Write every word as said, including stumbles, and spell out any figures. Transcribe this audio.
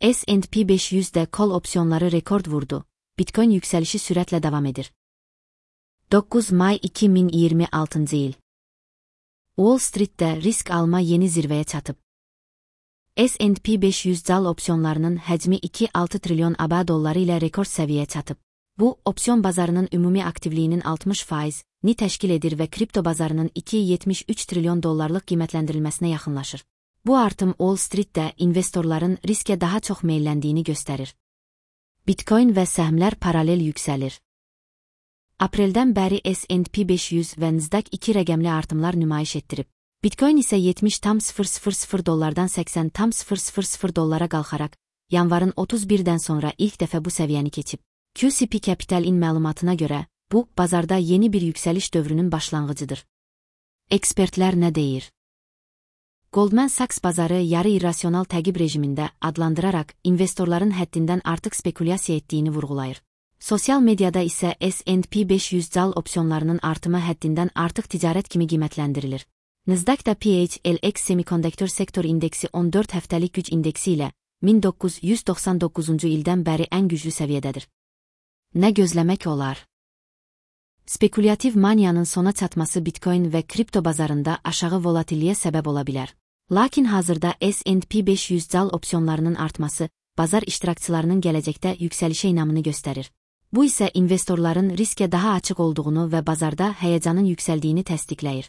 S and P beş yüzde kol opsiyonları rekord vurdu. Bitcoin yükselişi süratle devam edir. dokuz May iki bin yirmi altıncı yıl. Wall Street'te risk alma yeni zirveye çatıp. S and P beş yüz cal opsiyonlarının həcmi iki nöqtə altı trilyon A B dolları ilə rekord səviyyəyə çatıb. Bu, opsiyon bazarının ümumi aktivliyinin altmış faizini təşkil edir və kripto bazarının iki nöqtə yetmiş üç trilyon dollarlıq qiymətləndirilməsinə yaxınlaşır. Bu artım Wall Street'də investorların riskə daha çox meyilləndiyini göstərir. Bitcoin və səhmlər paralel yüksəlir. Apreldən bəri S and P beş yüz və Nasdaq iki rəqəmli artımlar nümayiş etdirib. Bitcoin isə yetmiş tam sıfır sıfır sıfır dollardan səksən tam sıfır sıfır sıfır dollara qalxaraq, yanvarın otuz birdən sonra ilk dəfə bu səviyyəni keçib. Q C P Capital'in məlumatına görə, bu, bazarda yeni bir yüksəliş dövrünün başlanğıcıdır. Ekspertlər nə deyir? Goldman Sachs bazarı yarı irrasional təqib rejimində adlandıraraq investorların həddindən artıq spekulyasiya etdiyini vurğulayır. Sosial mediada isə S and P beş yüz cal opsiyonlarının artımı həddindən artıq ticarət kimi qiymətləndirilir. Nasdaqda P H L X Semiconductor Sektor İndeksi on dörd həftəlik güc indeksi ilə min doqquz yüz doxsan doqquzuncu ildən bəri ən güclü səviyyədədir. Nə gözləmək olar? Spekulyativ maniyanın sona çatması Bitcoin və kripto bazarında aşağı volatilliyə səbəb ola bilər. Lakin hazırda S and P beş yüz cal opsiyonlarının artması, bazar iştirakçılarının gələcəkdə yüksəlişə inamını göstərir. Bu isə investorların riskə daha açıq olduğunu və bazarda həyəcanın yüksəldiyini təsdiqləyir.